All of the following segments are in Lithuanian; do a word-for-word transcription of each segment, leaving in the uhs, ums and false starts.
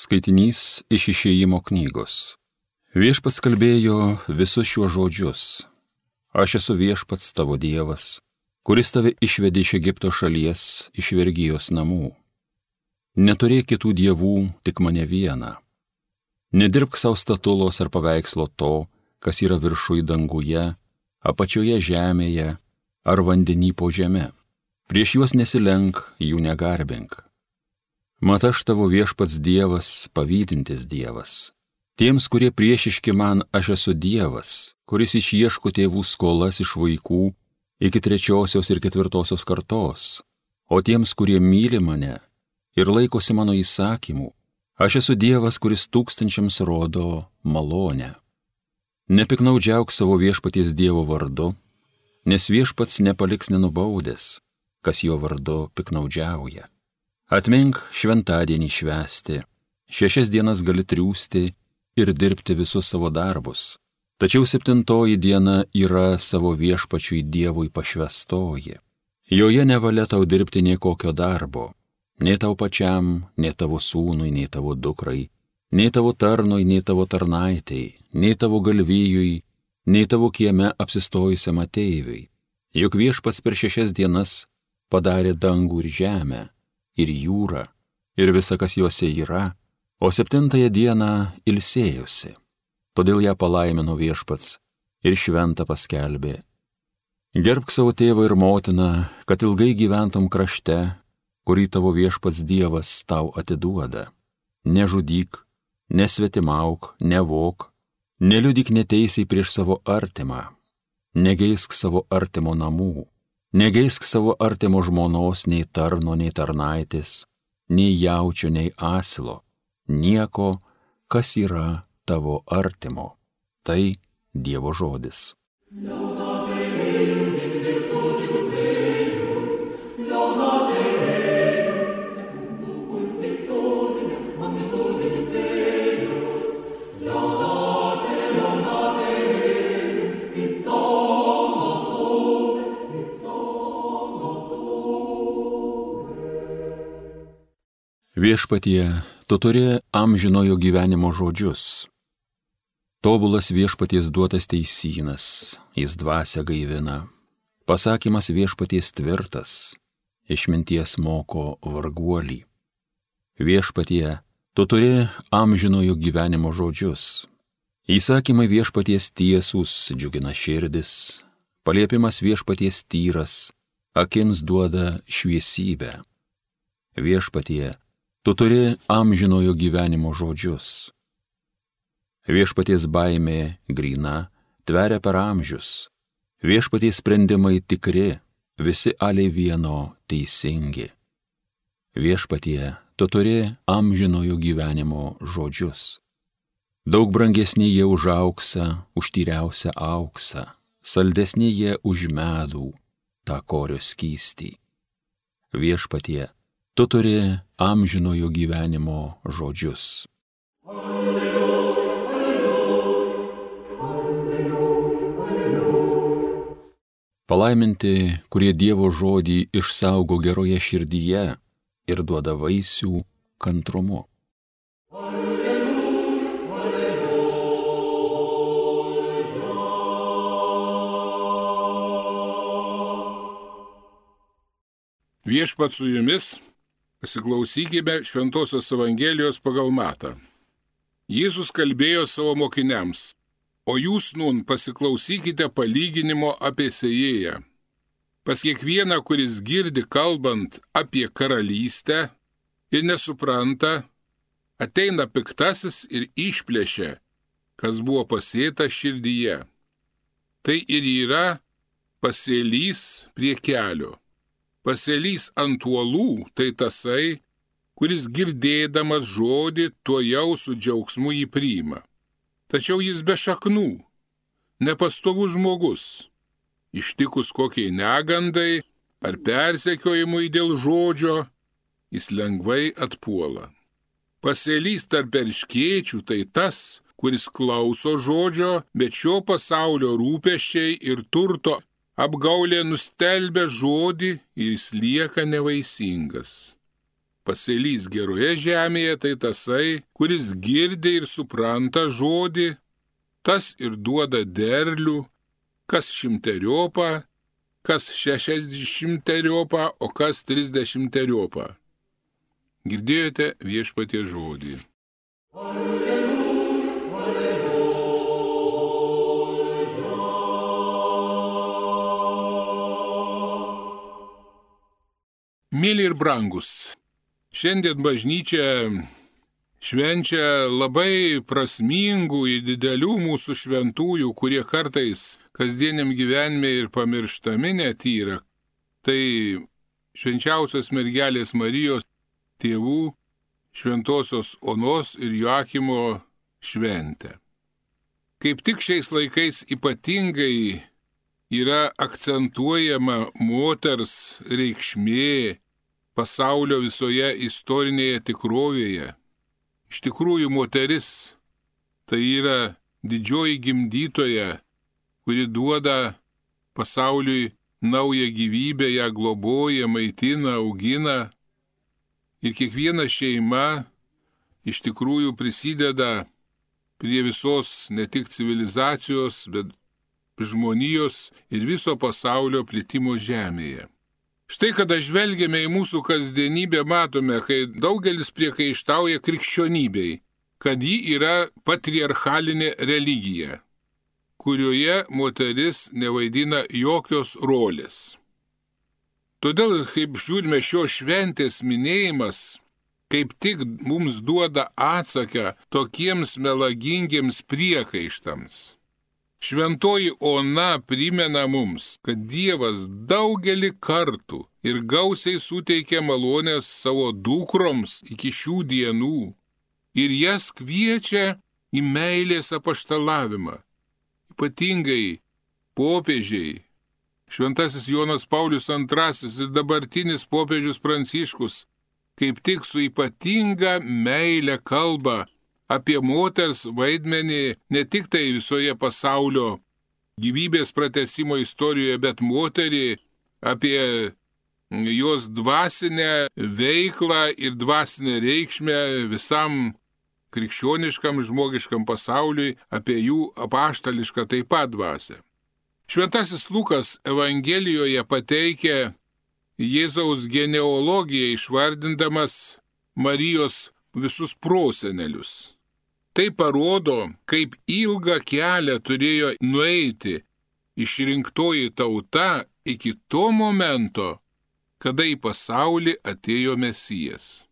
Skaitinys iš Išėjimo knygos. Viešpats kalbėjo visus šiuos žodžius. Aš esu viešpats tavo Dievas, kuris tave išvedė iš Egipto šalies, iš vergijos namų. Neturėk kitų dievų, tik mane vieną. Nedirbk savo statulos ar paveikslo to, kas yra viršui danguje, apačioje žemėje ar vandenį po žeme. Prieš juos nesilenk, jų negarbink. Mat aš tavo viešpats Dievas, pavydintis Dievas. Tiems, kurie priešiški man, aš esu Dievas, kuris išieško tėvų skolas iš vaikų iki trečiosios ir ketvirtosios kartos. O tiems, kurie myli mane ir laikosi mano įsakymų, aš esu Dievas, kuris tūkstančiams rodo malonę. Nepiknaudžiauk savo viešpaties Dievo vardu, nes viešpats nepaliks nenubaudęs, kas jo vardu piknaudžiauja. Atmink šventadienį švęsti, šešias dienas gali triūsti ir dirbti visus savo darbus. Tačiau septintoji diena yra savo viešpačiui Dievui pašvęstoji. Joje nevalia tau dirbti nė kokio darbo, nei tau pačiam, nei tavo sūnui, nei tavo dukrai, nei tavo tarnui, nei tavo tarnaitei, nei tavo galvijui, nei tavo kieme apsistojusiam ateiviui. Juk viešpats per šešias dienas padarė dangų ir žemę, ir jūrą, ir visa, kas juose yra, o septintąją dieną ilsėjosi. Todėl ją palaimino viešpats ir šventą paskelbė. Gerbk savo tėvą ir motiną, kad ilgai gyventum krašte, kurį tavo viešpats Dievas tau atiduoda. Nežudyk, nesvetimauk, nevok, neliudyk neteisiai prieš savo artimą, negeisk savo artimo namų. Negeisk savo artimo žmonos, nei tarno, nei tarnaitės, nei jaučio, nei asilo, nieko, kas yra tavo artimo. Tai Dievo žodis. Viešpatie, tu turi amžinojo gyvenimo žodžius. Tobulas viešpaties duotas teisynas, jis dvasią gaivina. Pasakymas viešpaties tvirtas, išminties moko varguolį. Viešpatie, tu turi amžinojo gyvenimo žodžius. Įsakymai viešpaties tiesūs džiugina širdis, paliepimas viešpaties tyras, akims duoda šviesybę. Viešpatie, tu turi amžinojo gyvenimo žodžius. Viešpaties baimė gryna, tveria per amžius. Viešpaties sprendimai tikri, visi aliai vieno teisingi. Viešpatie, tu turi amžinojo gyvenimo žodžius. Daug brangesni jie už auksą, už tyriausią auksą, saldesni jie už medų, tą korio skystį. Viešpatie, tu turi amžinojo gyvenimo žodžius. Alleluja, alleluja, alleluja, alleluja. Palaiminti, kurie Dievo žodį išsaugo geroje širdyje ir duoda vaisių kantrumu. Alleluja, alleluja. Viešpats su jumis. Pasiklausykime Šventosios Evangelijos pagal Matą. Jėzus kalbėjo savo mokiniams, o jūs nun pasiklausykite palyginimo apie sėjėją. Pas kiekvieną, kuris girdi kalbant apie karalystę ir nesupranta, ateina piktasis ir išplėšia, kas buvo pasėta širdyje. Tai ir yra pasėlys prie kelio. Pasėlys ant uolų, tai tasai, kuris girdėdamas žodį tuojau su džiaugsmu jį priima. Tačiau jis be šaknų, nepastovus žmogus, ištikus kokiai negandai ar persekiojimui dėl žodžio, jis lengvai atpuola. Pasėlys tarp erškėčių, tai tas, kuris klauso žodžio, bet šio pasaulio rūpesčiai ir turto apgaulė nustelbia žodį ir jis lieka nevaisingas. pasėlys geroje žemėje tai tasai, kuris girdi ir supranta žodį, tas ir duoda derlių, kas šimteriopą, kas šešiasdešimteriopą, o kas trisdešimteriopą. Girdėjote Viešpaties žodį. Alleluja, alleluja. Mėly ir brangus, šiandien bažnyčia švenčia labai prasmingų ir didelių mūsų šventųjų, kurie kartais kasdieniam gyvenime ir pamirštami net yra. Tai švenčiausios mergelės Marijos tėvų šventosios Onos ir Joachimo šventę. Kaip tik šiais laikais ypatingai yra akcentuojama moters reikšmė pasaulio visoje istorinėje tikrovėje. Iš tikrųjų, moteris tai yra didžioji gimdytoja, kuri duoda pasauliui naują gyvybę, ją globoja, maitina, augina. Ir kiekviena šeima iš tikrųjų prisideda prie visos ne tik civilizacijos, bet žmonijos ir viso pasaulio plitimo žemėje. Štai kada žvelgiame į mūsų kasdienybę, matome, kai daugelis priekaištauja krikščionybei, kad ji yra patriarchalinė religija, kurioje moteris nevaidina jokios rolės. Todėl, kaip žiūrime, šios šventės minėjimas, kaip tik mums duoda atsaką tokiems melagingiems priekaištams. Šventoji Ona primena mums, kad Dievas daugelį kartų ir gausiai suteikia malonės savo dukroms iki šių dienų ir jas kviečia į meilės apaštalavimą. Ypatingai popiežiai, Šventasis Jonas Paulius antrasis ir dabartinis popiežius Pranciškus kaip tik su ypatinga meile kalba apie moters vaidmenį ne tik tai visoje pasaulio gyvybės pratęsimo istorijoje, bet moterį, apie jos dvasinę veiklą ir dvasinę reikšmę visam krikščioniškam žmogiškam pasauliui, apie jų apaštališką taip pat dvasią. Šventasis Lukas Evangelijoje pateikia Jėzaus genealogiją išvardindamas Marijos visus prosenelius. Tai parodo, kaip ilgą kelią turėjo nueiti išrinktoji tauta iki to momento, kada į pasaulį atėjo Mesijas.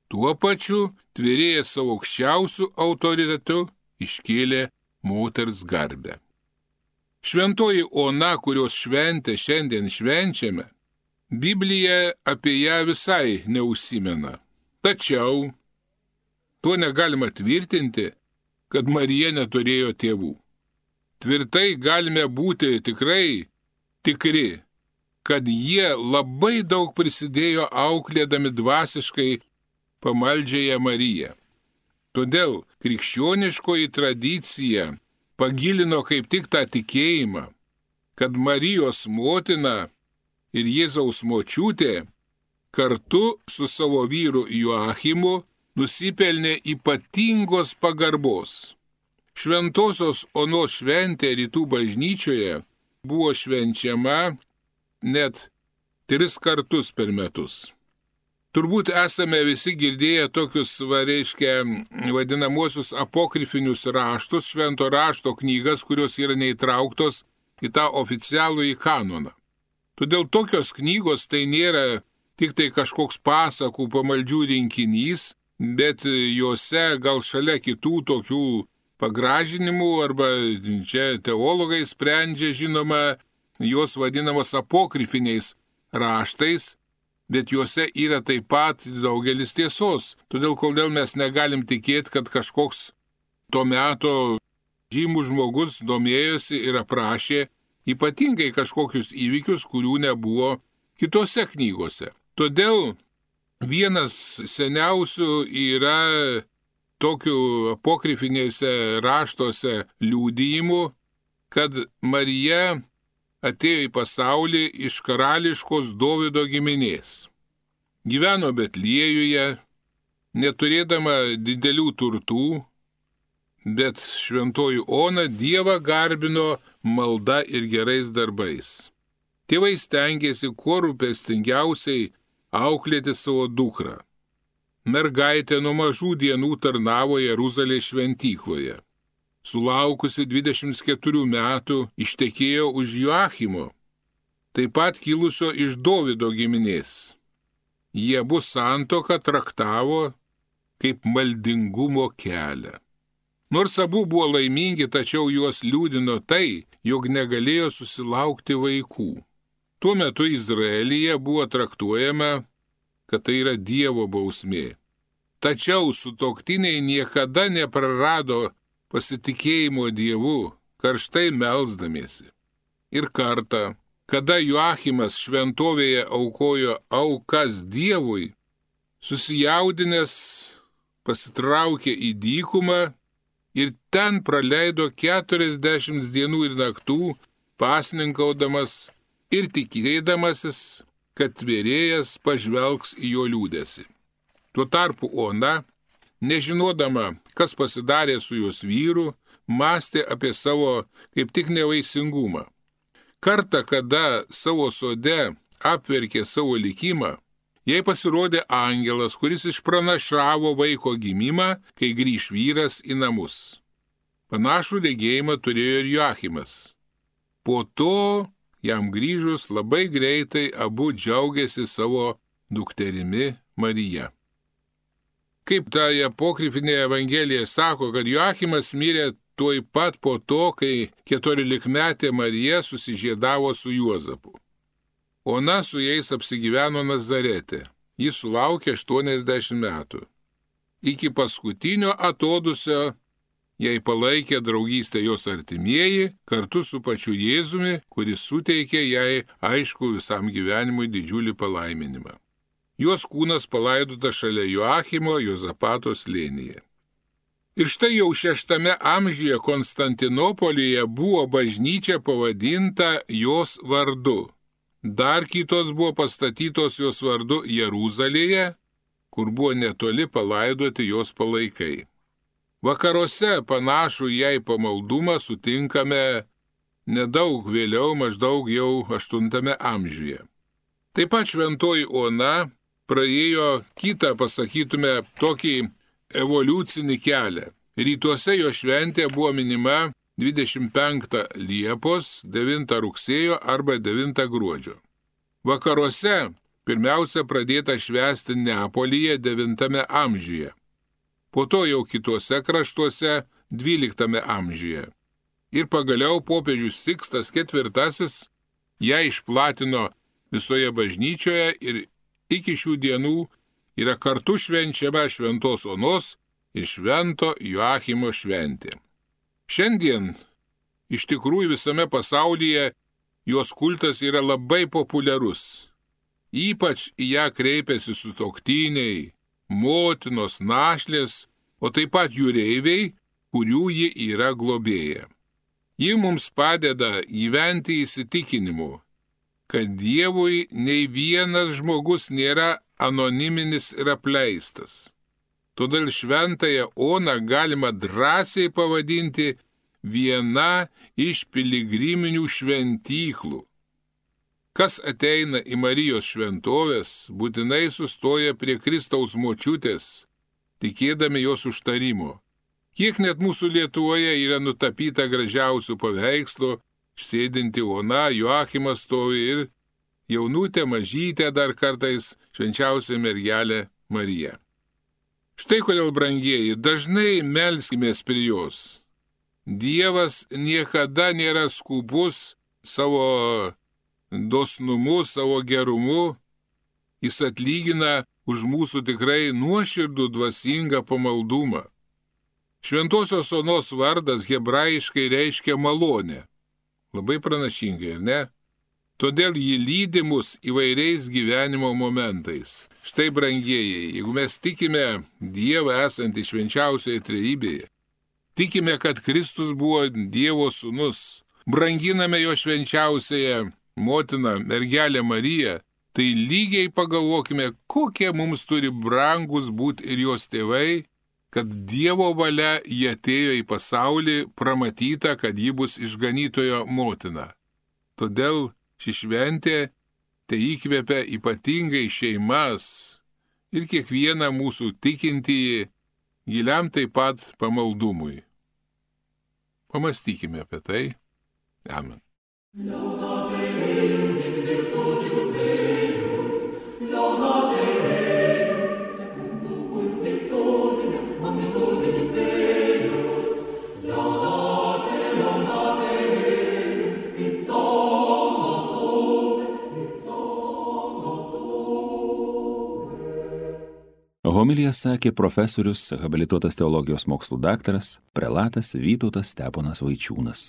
Tuo pačiu tvėrėjęs savo aukščiausių autoritetų iškėlė moters garbę. Šventoji Ona, kurios šventę šiandien švenčiame, Biblija apie ją visai neužsimena. Tačiau tuo negalima tvirtinti, kad Marija neturėjo tėvų. Tvirtai galime būti tikrai tikri, kad jie labai daug prisidėjo auklėdami dvasiškai pamaldžiąją Mariją. Todėl krikščioniškoji tradicija pagilino kaip tik tą tikėjimą, kad Marijos motina ir Jėzaus močiutė kartu su savo vyru Joachimu nusipelnė ypatingos pagarbos. Šventosios Onos šventė rytų bažnyčioje buvo švenčiama net tris kartus per metus. Turbūt esame visi girdėję tokius, va, reiškia, vadinamosius apokrifinius raštus, švento rašto knygas, kurios yra neįtrauktos į tą oficialų į kanoną. Todėl tokios knygos tai nėra tik tai kažkoks pasakų pamaldžių rinkinys, bet juose gal šalia kitų tokių pagražinimų, arba čia teologai sprendžia, žinoma, jos vadinamos apokrifiniais raštais, bet juose yra taip pat daugelis tiesos. Todėl, kodėl mes negalim tikėti, kad kažkoks to meto žymus žmogus domėjosi ir aprašė ypatingai kažkokius įvykius, kurių nebuvo kitose knygose. Todėl vienas seniausių yra tokių apokrifinėse raštuose liudijimų, kad Marija atėjo į pasaulį iš karališkos Dovydo giminės. gyveno Betliejuje, neturėdama didelių turtų, bet šventoji Ona Dievą garbino malda ir gerais darbais. Tėvai stengiasi kuo rūpestingiausiai auklėti savo dukrą. Mergaitė nuo mažų dienų tarnavo Jeruzalės šventykloje. Sulaukusi dvidešimt keturių metų ištekėjo už Joachimo, taip pat kilusio iš Dovydo giminės. Jie abu santuoką traktavo kaip maldingumo kelią. Nors abu buvo laimingi, tačiau juos liūdino tai, jog negalėjo susilaukti vaikų. Tuo metu Izraelyje buvo traktuojama, kad tai yra Dievo bausmė. Tačiau sutuoktiniai niekada neprarado pasitikėjimo Dievu, karštai melsdamiesi. Ir kartą, kada Joachimas šventovėje aukojo aukas Dievui, susijaudinęs pasitraukė į dykumą ir ten praleido keturiasdešimt dienų ir naktų, pasninkaudamas ir tikėdamasis, kad tvėrėjas pažvelgs į jo liūdesį. Tuo tarpu Ona, nežinodama, kas pasidarė su jos vyru, mąstė apie savo kaip tik nevaisingumą. Kartą, kada savo sode apverkė savo likimą, jai pasirodė angelas, kuris išpranašavo vaiko gimimą, kai grįš vyras į namus. Panašų regėjimą turėjo ir Joachimas. Po to, jam grįžus, labai greitai abu džiaugiasi savo dukterimi Marija. Kaip ta apokrifinė evangelija sako, kad Joachimas mirė tuoj pat po to, kai keturiolikmetė Marija susižiedavo su Juozapu. Ona su jais apsigyveno Nazarete. Jis sulaukė aštuoniasdešimt metų. Iki paskutinio atodusio jai palaikė draugystę jos artimieji kartu su pačiu Jėzumi, kuris suteikė jai aišku visam gyvenimui didžiulį palaiminimą. Jos kūnas palaidotas šalia Joachimo Jozapato slėnyje. Ir štai jau šeštame amžiuje Konstantinopolyje buvo bažnyčia pavadinta jos vardu. Dar kitos buvo pastatytos jos vardu Jeruzalėje, kur buvo netoli palaidoti jos palaikai. Vakaruose panašų jai pamaldumą sutinkame nedaug vėliau, maždaug jau aštuntame amžiuje. Taip pat šventoji Ona praėjo kitą, pasakytume, tokį evoliucinį kelią. Rytuose jo šventė buvo minima dvidešimt penktą Liepos, devintą rugsėjo arba devintą gruodžio. Vakaruose pirmiausia pradėta švęsti Neapolyje devintame amžiuje. Po to jau kituose kraštuose dvyliktame amžiuje. Ir pagaliau popiežius Sikstas ketvirtasis ją išplatino visoje bažnyčioje ir iki šių dienų yra kartu švenčiama šventos Onos ir švento Joachimo šventė. Šiandien iš tikrųjų visame pasaulyje jos kultas yra labai populiarus. Ypač į ją kreipiasi sutuoktiniai, motinos, našlės, o taip pat jūreiviai, kurių ji yra globėja. Ji mums padeda gyventi įsitikinimu, kad Dievui nei vienas žmogus nėra anoniminis ir apleistas. Todėl šventąją Oną galima drąsiai pavadinti viena iš piligriminių šventyklų. Kas ateina į Marijos šventovės, būtinai sustoja prie Kristaus močiutės, tikėdami jos užtarimo. Kiek net mūsų Lietuvoje yra nutapyta gražiausių paveikslų, sėdinti Ona, Joachimas stovi ir jaunutė mažytė dar kartais švenčiausia mergelė Marija. Štai kodėl, brangieji, dažnai melskimės prie jos. Dievas niekada nėra skubus savo dosnumu, savo gerumu. Jis atlygina už mūsų tikrai nuoširdų dvasingą pamaldumą. Šventosios Onos vardas hebrajiškai reiškia malonę. Labai pranašingai, ar ne? Todėl jį lydi mus įvairiais gyvenimo momentais. Štai, brangieji, jeigu mes tikime Dievą esantį švenčiausioje trejybėje, tikime, kad Kristus buvo Dievo sūnus, branginame jo švenčiausiąją motiną, mergelę Mariją, tai lygiai pagalvokime, kokie mums turi brangus būti ir jos tėvai, kad Dievo valia jie atėjo į pasaulį, pramatyta, kad ji bus išganytojo motina. Todėl ši šventė tai įkvepia ypatingai šeimas ir kiekvieną mūsų tikintįjį giliam taip pat pamaldumui. Pamastykime apie tai. Amen. Homiliją sakė profesorius, habilituotas teologijos mokslų daktaras, prelatas Vytautas Steponas Vaičiūnas.